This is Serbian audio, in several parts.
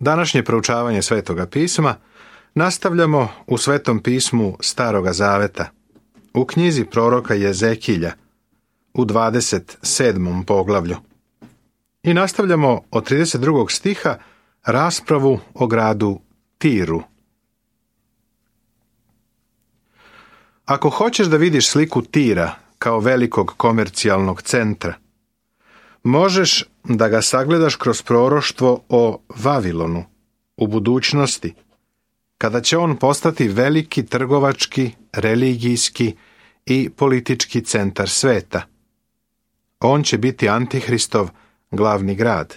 Današnje proučavanje Svetoga pisma nastavljamo u Svetom pismu Staroga Zaveta, u knjizi proroka Jezekilja, u 27. poglavlju. I nastavljamo od 32. stiha raspravu o gradu Tiru. Ako hoćeš da vidiš sliku Tira kao velikog komercijalnog centra, možeš da ga sagledaš kroz proroštvo o Vavilonu u budućnosti, kada će on postati veliki trgovački, religijski i politički centar sveta. On će biti Antihristov glavni grad.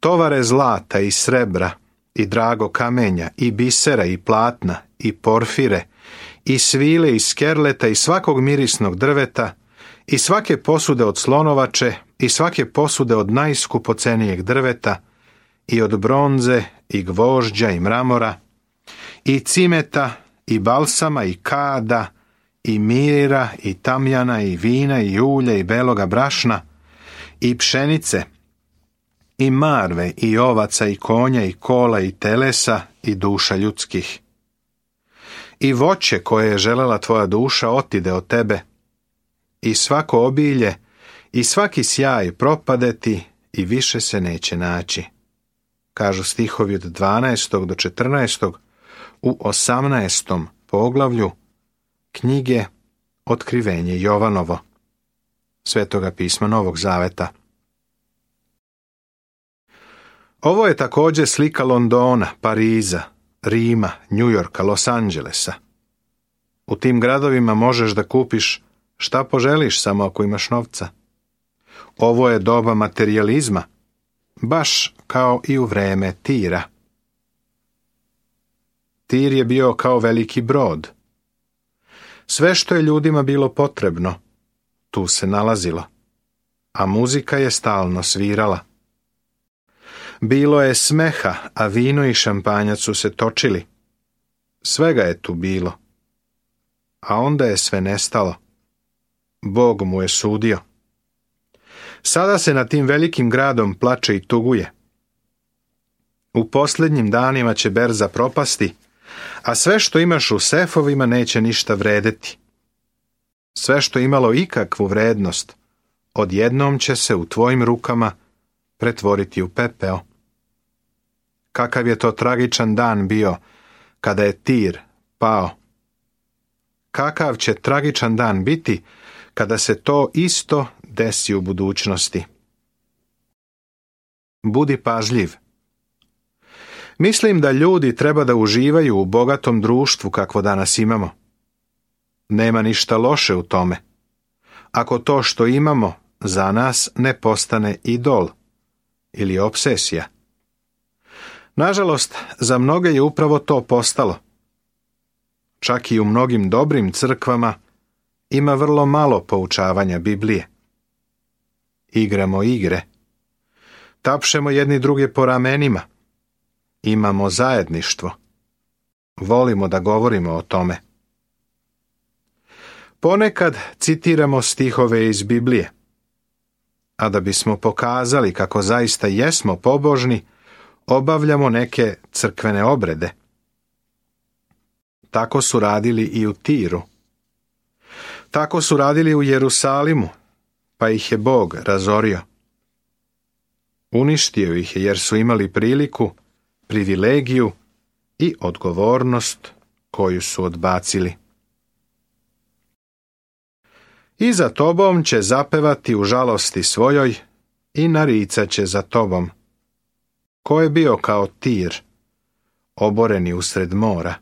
Tovare zlata i srebra i drago kamenja i bisera i platna i porfire i svile i skerleta i svakog mirisnog drveta i svake posude od slonovače i svake posude od najskupocenijeg drveta i od bronze i gvožđa i mramora i cimeta i balsama i kada i mira i tamjana i vina i ulja i beloga brašna i pšenice i marve i ovaca i konja i kola i telesa i duša ljudskih. I voće koje je želela tvoja duša otide od tebe, i svako obilje i svaki sjaj propadeti i više se neće naći. Kažu stihovi od 12. do 14. u 18. poglavlju knjige Otkrivenje Jovanovo, Svetoga pisma Novog Zaveta. Ovo je također slika Londona, Pariza, Rima, Njujorka, Los Angelesa. U tim gradovima možeš da kupiš šta poželiš samo ako imaš novca. Ovo je doba materijalizma, baš kao i u vreme Tira. Tir je bio kao veliki brod. Sve što je ljudima bilo potrebno, tu se nalazilo, a muzika je stalno svirala. Bilo je smeha, a vino i šampanjac su se točili. Svega je tu bilo. A onda je sve nestalo. Bog mu je sudio. Sada se nad tim velikim gradom plače i tuguje. U posljednjim danima će berza propasti, a sve što imaš u sefovima neće ništa vredeti. Sve što imalo ikakvu vrednost, odjednom će se u tvojim rukama pretvoriti u pepeo. Kakav je to tragičan dan bio kada je Tir pao. Kakav će tragičan dan biti kada se to isto desi u budućnosti. Budi pažljiv. Mislim da ljudi treba da uživaju u bogatom društvu kakvo danas imamo. Nema ništa loše u tome, ako to što imamo za nas ne postane idol ili obsesija. Nažalost, za mnoge je upravo to postalo. Čak i u mnogim dobrim crkvama ima vrlo malo poučavanja Biblije. Igramo igre. Tapšemo jedni druge po ramenima. Imamo zajedništvo. Volimo da govorimo o tome. Ponekad citiramo stihove iz Biblije. A da bismo pokazali kako zaista jesmo pobožni, obavljamo neke crkvene obrede. Tako su radili i u Tiru. Tako su radili u Jerusalimu, pa ih je Bog razorio. Uništio ih je jer su imali priliku, privilegiju i odgovornost koju su odbacili. I za tobom će zapevati u žalosti svojoj i naricat će za tobom. Ko je bio kao Tir, oboreni usred mora.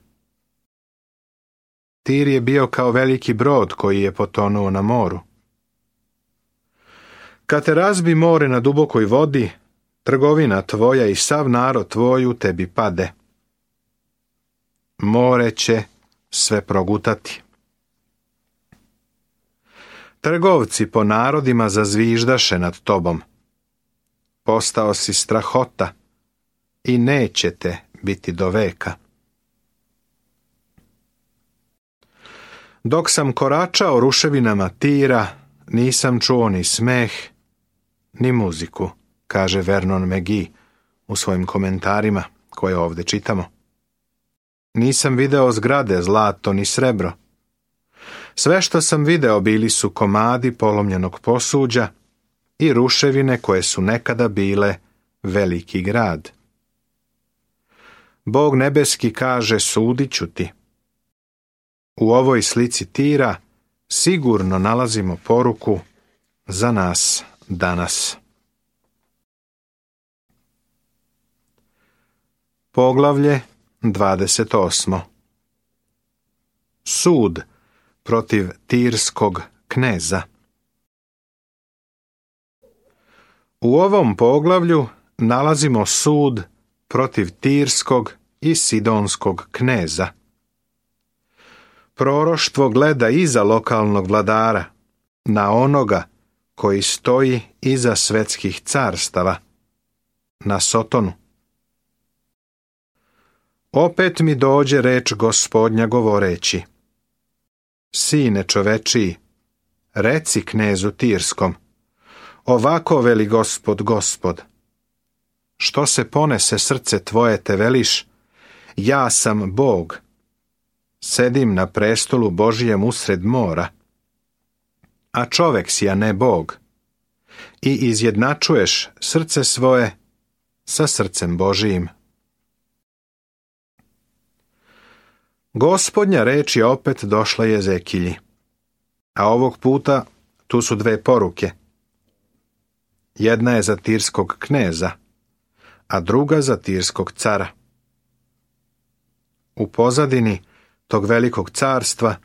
Tir je bio kao veliki brod koji je potonuo na moru. Kad te razbi more na dubokoj vodi, trgovina tvoja i sav narod tvoj u tebi pade. More će sve progutati. Trgovci po narodima zazviždaše nad tobom. Postao si strahota i neće te biti do veka. Dok sam koračao ruševinama Tira, nisam čuo ni smeh, ni muziku, kaže Vernon McGee u svojim komentarima koje ovdje čitamo. Nisam video zgrade, zlato ni srebro. Sve što sam video bili su komadi polomljenog posuđa i ruševine koje su nekada bile veliki grad. Bog nebeski kaže, sudit ću ti. U ovoj slici Tira sigurno nalazimo poruku za nas danas. Poglavlje 28. Sud protiv tirskog kneza. U ovom poglavlju nalazimo sud protiv tirskog i sidonskog kneza. Proroštvo gleda iza lokalnog vladara, na onoga koji stoji iza svetskih carstava, na Sotonu. Opet mi dođe reč Gospodnja govoreći: Sine čovečiji, reci knezu Tirskom, ovako veli Gospod, Gospod, što se ponese srce tvoje te veliš, ja sam Bog, sedim na prestolu Božijem usred mora, a čovek si, a ne Bog, i izjednačuješ srce svoje sa srcem Božijim. Gospodnja reč je opet došla Jezekilji, a ovog puta tu su dve poruke. Jedna je za tirskog kneza, a druga za tirskog cara. U pozadini tog velikog carstva,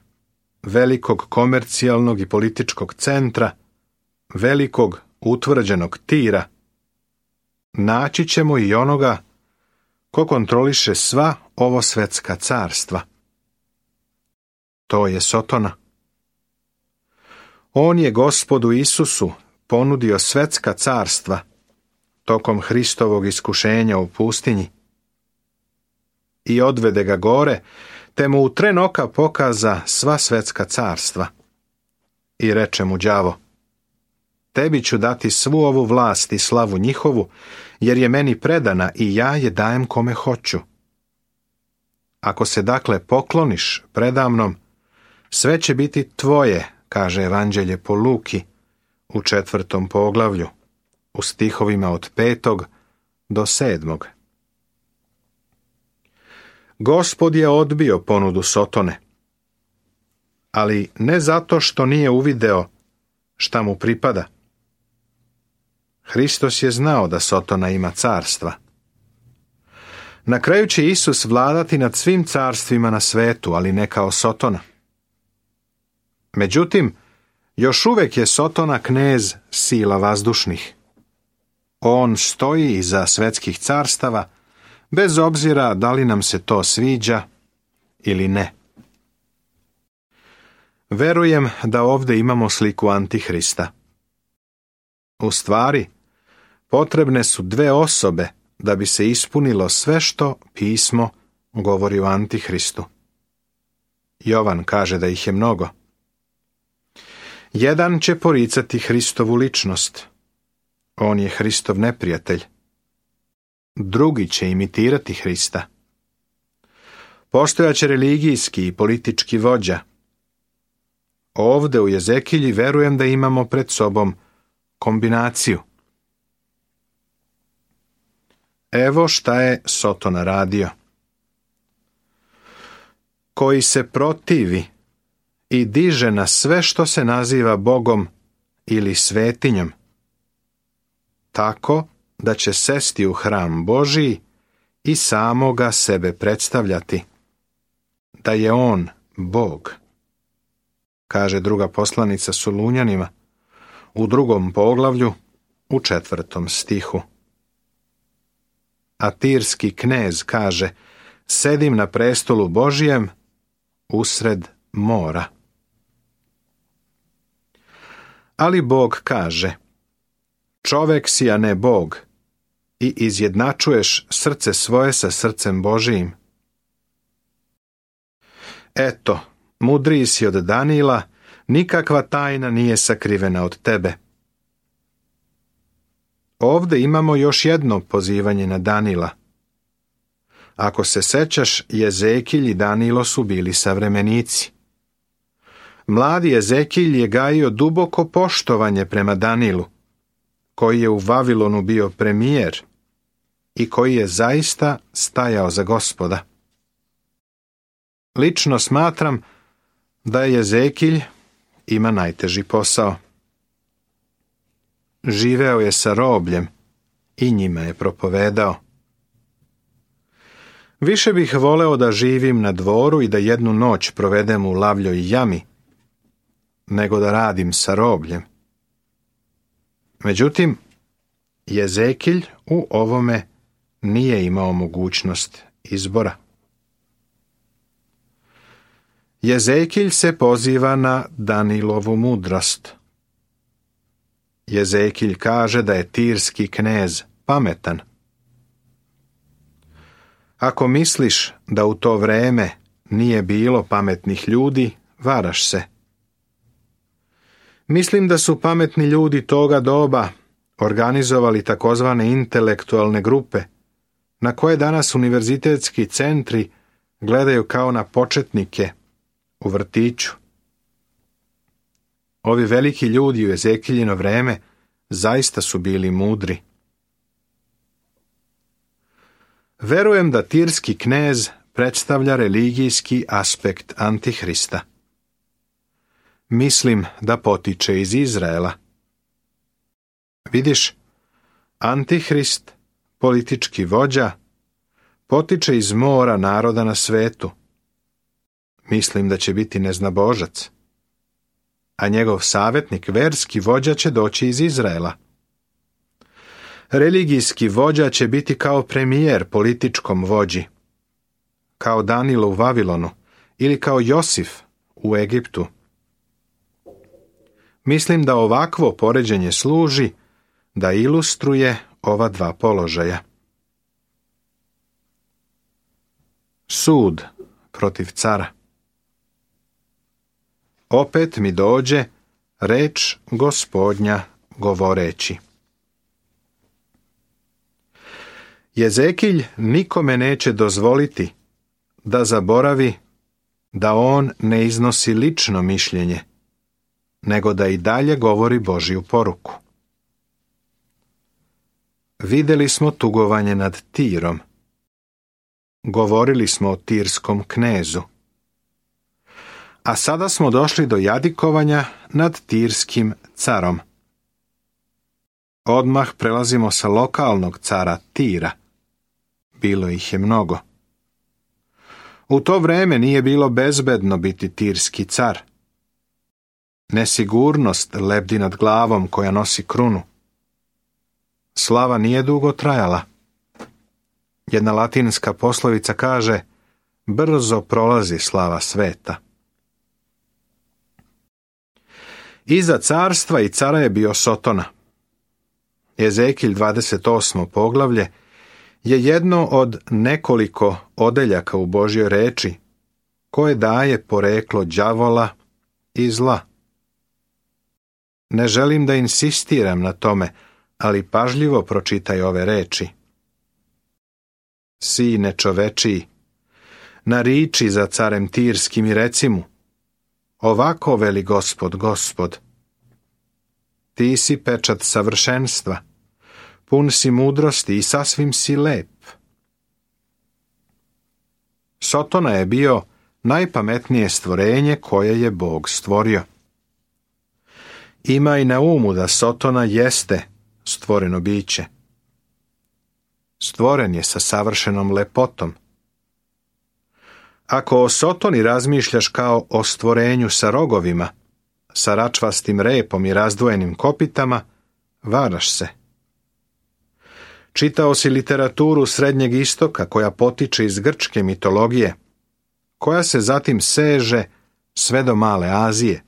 velikog komercijalnog i političkog centra, velikog utvrđenog Tira, naći ćemo i onoga ko kontroliše sva ovo svetska carstva. To je Sotona. On je Gospodu Isusu ponudio svetska carstva tokom Hristovog iskušenja u pustinji i odvede ga gore, te mu u tren oka pokaza sva svetska carstva. I reče mu đavo: Tebi ću dati svu ovu vlast i slavu njihovu, jer je meni predana i ja je dajem kome hoću. Ako se dakle pokloniš predamnom, sve će biti tvoje, kaže Evanđelje po Luki u 4. poglavlju, u stihovima od 5. do 7. Gospod je odbio ponudu Sotone, ali ne zato što nije uvideo šta mu pripada. Hristos je znao da Sotona ima carstva. Na kraju će Isus vladati nad svim carstvima na svetu, ali ne kao Sotona. Međutim, još uvijek je Sotona knez sila vazdušnih. On stoji iza svetskih carstava, bez obzira da li nam se to sviđa ili ne. Verujem da ovdje imamo sliku Antihrista. U stvari, potrebne su dve osobe da bi se ispunilo sve što pismo govori o Antihristu. Jovan kaže da ih je mnogo. Jedan će poricati Hristovu ličnost. On je Hristov neprijatelj. Drugi će imitirati Hrista. Postojaće religijski i politički vođa. Ovdje u Jezekilji verujem da imamo pred sobom kombinaciju. Evo šta je Sotona radio. Koji se protivi i diže na sve što se naziva Bogom ili svetinjom, tako da će sesti u hram Božiji i samoga sebe predstavljati, da je on Bog, kaže druga poslanica Solunjanima u 2. poglavlju u 4. stihu. A tirski knez kaže: sedim na prestolu Božijem usred mora. Ali Bog kaže: čovek si, a ne Bog, i izjednačuješ srce svoje sa srcem Božijim. Eto, mudriji si od Danila, nikakva tajna nije sakrivena od tebe. Ovdje imamo još jedno pozivanje na Danila. Ako se sećaš, Jezekilj i Danilo su bili savremenici. Mladi Jezekilj je gajio duboko poštovanje prema Danilu, koji je u Vavilonu bio premijer i koji je zaista stajao za Gospoda. Lično smatram da je Jezekilj ima najteži posao. Živeo je sa robljem i njima je propovedao. Više bih voleo da živim na dvoru i da jednu noć provedem u lavljoj jami, nego da radim sa robljem. Međutim, Jezekilj u ovome nije imao mogućnost izbora. Jezekilj se poziva na Danilovu mudrost. Jezekilj kaže da je tirski knez pametan. Ako misliš da u to vreme nije bilo pametnih ljudi, varaš se. Mislim da su pametni ljudi toga doba organizovali takozvane intelektualne grupe, na koje danas univerzitetski centri gledaju kao na početnike u vrtiću. Ovi veliki ljudi u Jezekiljino vreme zaista su bili mudri. Verujem da tirski knez predstavlja religijski aspekt Antihrista. Mislim da potiče iz Izraela. Vidiš, Antihrist, politički vođa, potiče iz mora naroda na svetu. Mislim da će biti neznabožac. A njegov savjetnik, verski vođa, će doći iz Izraela. Religijski vođa će biti kao premijer političkom vođi, kao Danilo u Vavilonu ili kao Josif u Egiptu. Mislim da ovakvo poređenje služi da ilustruje ova dva položaja. Sud protiv cara. Opet mi dođe reč Gospodnja govoreći. Jezekilj nikome neće dozvoliti da zaboravi da on ne iznosi lično mišljenje, nego da i dalje govori Božju poruku. Vidjeli smo tugovanje nad Tirom. Govorili smo o tirskom knezu. A sada smo došli do jadikovanja nad tirskim carom. Odmah prelazimo sa lokalnog cara Tira. Bilo ih je mnogo. U to vrijeme nije bilo bezbedno biti tirski car. Nesigurnost lebdi nad glavom koja nosi krunu. Slava nije dugo trajala. Jedna latinska poslovica kaže: brzo prolazi slava sveta. Iza carstva i cara je bio Sotona. Jezekilj 28. poglavlje je jedno od nekoliko odeljaka u Božjoj reči koje daje poreklo đavola i zla. Ne želim da insistiram na tome, ali pažljivo pročitaj ove reči. Sine čovečiji, nariči za carem tirskim i reci mu: ovako veli Gospod, Gospod. Ti si pečat savršenstva, pun si mudrosti i sasvim si lep. Sotona je bio najpametnije stvorenje koje je Bog stvorio. Imaj na umu da Sotona jeste stvoreno biće. Stvoren je sa savršenom lepotom. Ako o Sotoni razmišljaš kao o stvorenju sa rogovima, sa račvastim repom i razdvojenim kopitama, varaš se. Čitao si literaturu Srednjeg istoka koja potiče iz grčke mitologije, koja se zatim seže sve do Male Azije.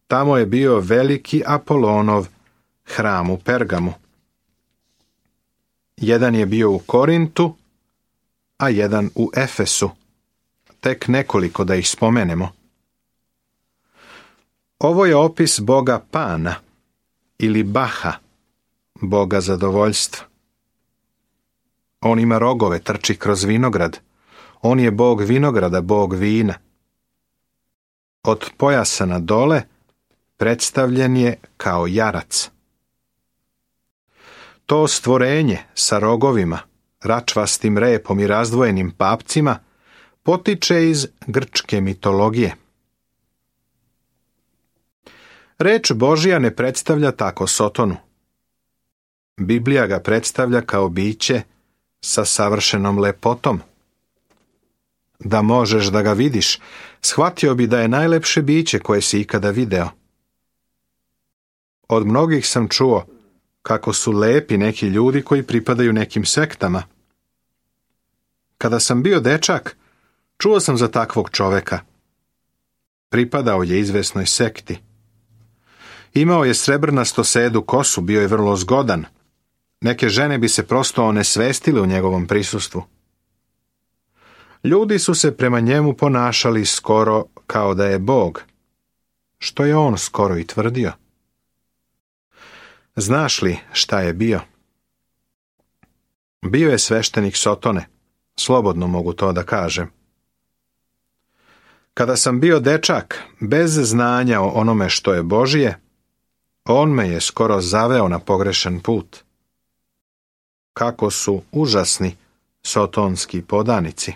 Tamo je bio veliki Apolonov hram u Pergamu. Jedan je bio u Korintu, a jedan u Efesu. Tek nekoliko da ih spomenemo. Ovo je opis boga Pana ili Baha, Boga zadovoljstva. On ima rogove, trči kroz vinograd. On je Bog vinograda, Bog vina. Od pojasa na dole predstavljen je kao jarac. To stvorenje sa rogovima, račvastim repom i razdvojenim papcima potiče iz grčke mitologije. Reč Božja ne predstavlja tako Sotonu. Biblija ga predstavlja kao biće sa savršenom lepotom. Da možeš da ga vidiš, shvatio bi da je najlepše biće koje si ikada video. Od mnogih sam čuo kako su lepi neki ljudi koji pripadaju nekim sektama. Kada sam bio dečak, čuo sam za takvog čoveka. Pripadao je izvesnoj sekti. Imao je srebrnasto sedu kosu, bio je vrlo zgodan. Neke žene bi se prosto onesvestile u njegovom prisustvu. Ljudi su se prema njemu ponašali skoro kao da je Bog, što je on skoro i tvrdio. Znaš li šta je bio? Bio je sveštenik Sotone, slobodno mogu to da kažem. Kada sam bio dečak, bez znanja o onome što je Božije, on me je skoro zaveo na pogrešan put. Kako su užasni sotonski podanici.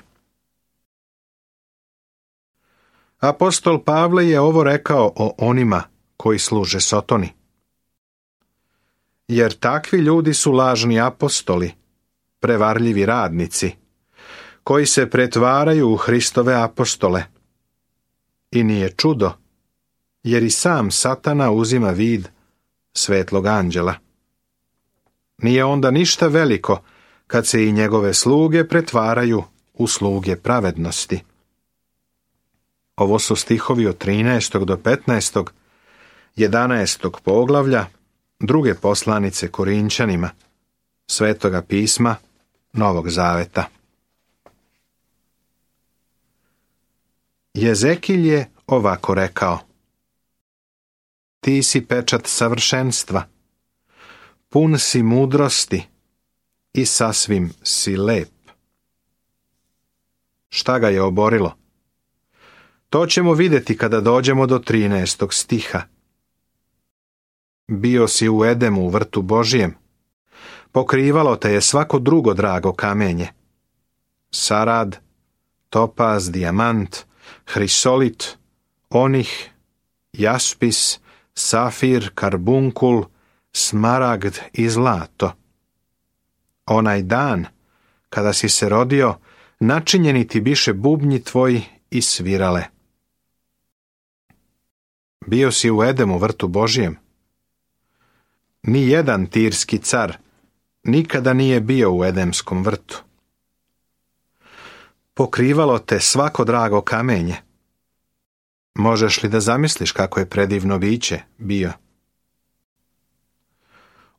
Apostol Pavle je ovo rekao o onima koji služe Sotoni. Jer takvi ljudi su lažni apostoli, prevarljivi radnici, koji se pretvaraju u Hristove apostole. I nije čudo, jer i sam Satana uzima vid svetlog anđela. Nije onda ništa veliko kad se i njegove sluge pretvaraju u sluge pravednosti. Ovo su stihovi od 13. do 15. 11. poglavlja druge poslanice Korinčanima, Svetoga pisma Novog Zaveta. Jezekilj je ovako rekao: Ti si pečat savršenstva, pun si mudrosti i sasvim si lep. Šta ga je oborilo? To ćemo vidjeti kada dođemo do 13. stiha. Bio si u Edemu, u vrtu Božijem. Pokrivalo te je svako drugo drago kamenje. Sarad, topaz, dijamant, hrisolit, onih, jaspis, safir, karbunkul, smaragd i zlato. Onaj dan, kada si se rodio, načinjeni ti biše bubnji tvoji i svirale. Bio si u Edemu, vrtu Božijem. Ni jedan tirski car nikada nije bio u Edemskom vrtu. Pokrivalo te svako drago kamenje. Možeš li da zamisliš kako je predivno biće bio?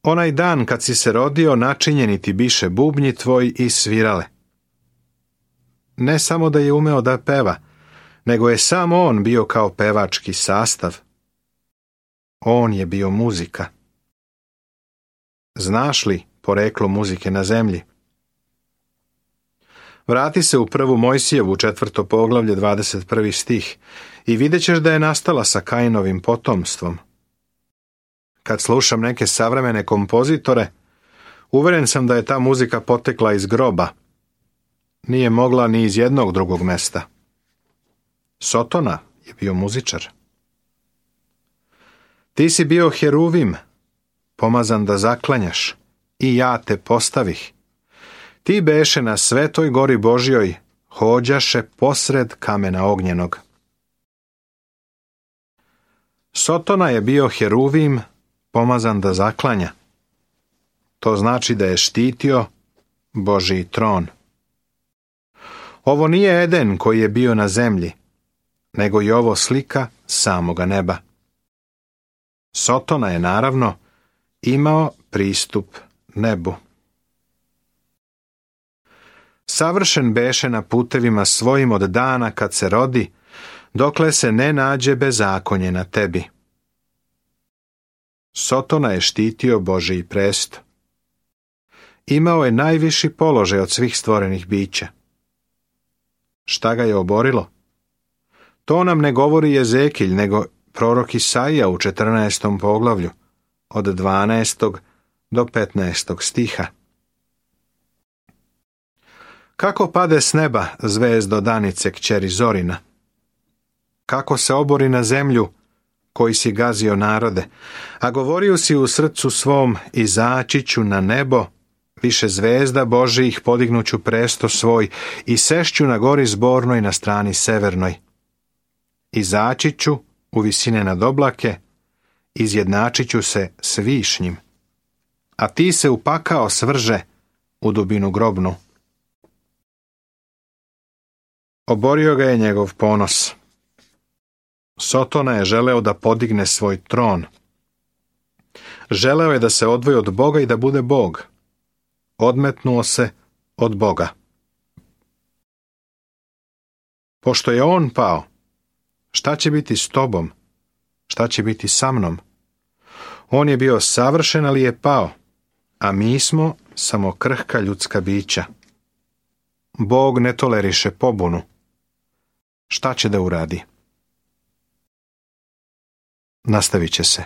Onaj dan kad si se rodio, načinjeni ti biše bubnji tvoji i svirale. Ne samo da je umeo da peva, nego je sam on bio kao pevački sastav. On je bio muzika. Znaš li poreklo muzike na zemlji? Vrati se u 1. Mojsijevu 4. poglavlje 21. stih i vidjet ćeš da je nastala sa Kainovim potomstvom. Kad slušam neke savremene kompozitore, uveren sam da je ta muzika potekla iz groba. Nije mogla ni iz jednog drugog mesta. Sotona je bio muzičar. Ti si bio heruvim, pomazan da zaklanjaš, i ja te postavih. Ti beše na svetoj gori Božjoj, hođaše posred kamena ognjenog. Sotona je bio heruvim, pomazan da zaklanja. To znači da je štitio Božji tron. Ovo nije Eden koji je bio na zemlji, nego je ovo slika samoga neba. Sotona je naravno imao pristup nebu. Savršen beše na putevima svojim od dana kad se rodi, dokle se ne nađe bezakonje na tebi. Sotona je štitio Božji presto. Imao je najviši položaj od svih stvorenih bića. Šta ga je oborilo? To nam ne govori Jezekilj, nego prorok Isaija u 14. poglavlju, od 12. do 15. stiha. Kako pade s neba zvezdo danice kćeri Zorina? Kako se obori na zemlju, koji si gazio narode, a govorio si u srcu svom, izaći ću na nebo, više zvezda Božijih podignuću presto svoj i sešću na gori zbornoj na strani severnoj. Izaći ću u visine nad oblake, izjednačit ću se s višnjim, a ti se u pakao svrže u dubinu grobnu. Oborio ga je njegov ponos. Sotona je želeo da podigne svoj tron. Želeo je da se odvoji od Boga i da bude Bog. Odmetnuo se od Boga. Pošto je on pao, šta će biti s tobom? Šta će biti sa mnom? On je bio savršen, ali je pao, a mi smo samo krhka ljudska bića. Bog ne toleriše pobunu. Šta će da uradi? Nastavit će se.